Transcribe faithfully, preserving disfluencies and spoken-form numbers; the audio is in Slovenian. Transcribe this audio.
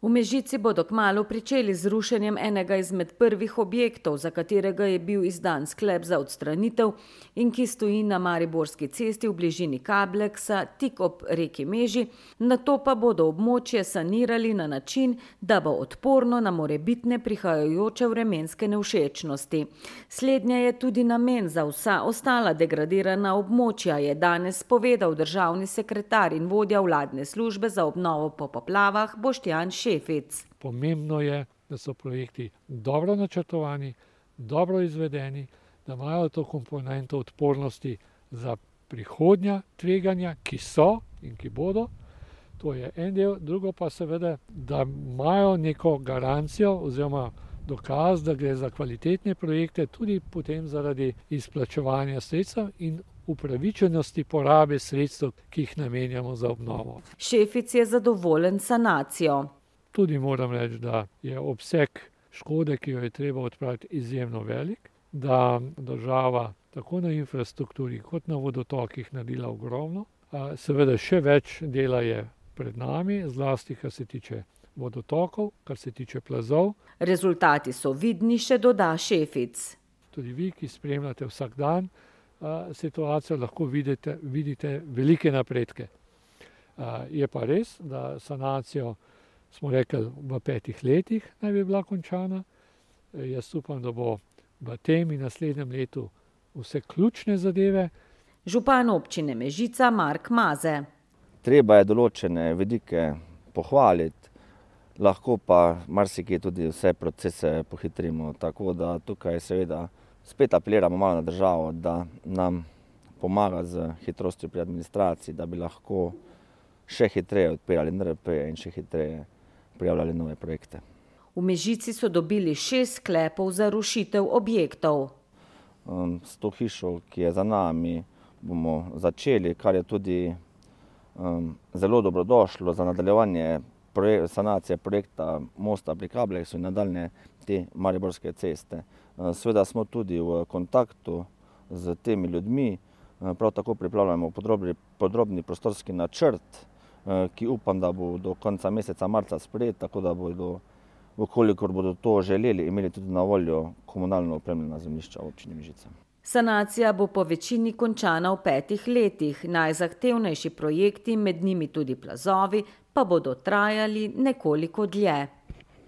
V Mežici bodo kmalu pričeli z rušenjem enega izmed prvih objektov, za katerega je bil izdan sklep za odstranitev in ki stoji na Mariborski cesti v bližini Kableksa, tik ob reki Meži, nato pa bodo območje sanirali na način, da bo odporno na morebitne prihajajoče vremenske nevšečnosti. Slednje je tudi namen za vsa ostala degradirana območja, je danes povedal državni sekretar in vodja vladne službe za obnovo po poplavah Boštjan Šefic. Pomembno je, da so projekti dobro načrtovani, dobro izvedeni, da imajo to komponento odpornosti za prihodnja tveganja, ki so in ki bodo. To je en del, drugo pa seveda, da imajo neko garancijo oziroma dokaz, da gre za kvalitetne projekte, tudi potem zaradi izplačevanja sredstev in upravičenosti porabe sredstev, ki jih namenjamo za obnovo. Šefic je zadovoljen s sanacijo. Tudi moram reči, da je obseg škode, ki jo je treba odpraviti, izjemno velik, da država tako na infrastrukturi kot na vodotokih naredila ogromno. Seveda še več dela je pred nami, zlasti kar se tiče vodotokov, kar se tiče plazov. Rezultati so vidni, še doda Šefic. Tudi vi, ki spremljate vsak dan situacijo, lahko vidite, vidite velike napredke. Je pa res, da sanacijo smo rekli, v petih letih naj bi bila končana. Jaz upam, da bo v tem in naslednjem letu vse ključne zadeve. Župan občine Mežica Mark Maze. Treba je določene vidike pohvaliti, lahko pa marsikje tudi vse procese pohitrimo. Tako da tukaj seveda spet apeliramo malo na državo, da nam pomaga z hitrostjo pri administraciji, da bi lahko še hitreje odpirali N R P-je in še hitreje prijavljali nove projekte. V Mežici so dobili šest sklepov za rušitev objektov. Um, s to hišo, ki je za nami, bomo začeli, kar je tudi um, zelo dobrodošlo za nadaljevanje projek- sanacije projekta mosta pri Kableksu in nadaljne te Mariborske ceste. Uh, Seveda smo tudi v kontaktu z temi ljudmi, uh, prav tako pripravljamo podrobni, podrobni prostorski načrt, ki upam, da bo do konca meseca marca sprejet, tako da bodo, vkolikor bodo to želeli, imeli tudi na voljo komunalno opremljena zemljišča v občini Mežica. Sanacija bo po večini končana v petih letih. Najzahtevnejši projekti, med njimi tudi plazovi, pa bodo trajali nekoliko dlje.